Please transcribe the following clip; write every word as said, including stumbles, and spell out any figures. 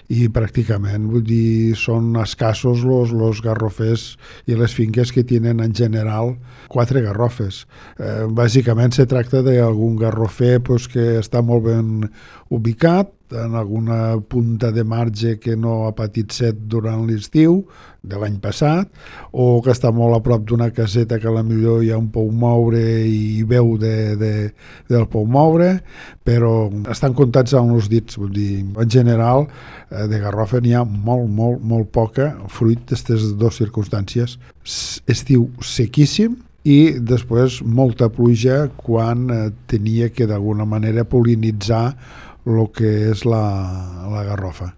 i pràcticament, vull dir, són escassos los, los garrofers i les finques que tenen en general quatre garrofes. Eh, bàsicament se tracta d'algun garrofer pues, que està molt ben ubicat, en alguna punta de marge que no ha patit set durant l'estiu de l'any passat, o que està molt a prop d'una caseta que a la millor hi ha un pou moure i veu de, de, del pou moure, però estan comptats amb els dits. Vull dir, en general, de garrofa n'hi ha molt, molt, molt poca, fruit d'aquestes dues circumstàncies. Estiu sequíssim, i després molta pluja quan eh, tenia que d'alguna manera pol·linitzar el que és la, la garrofa.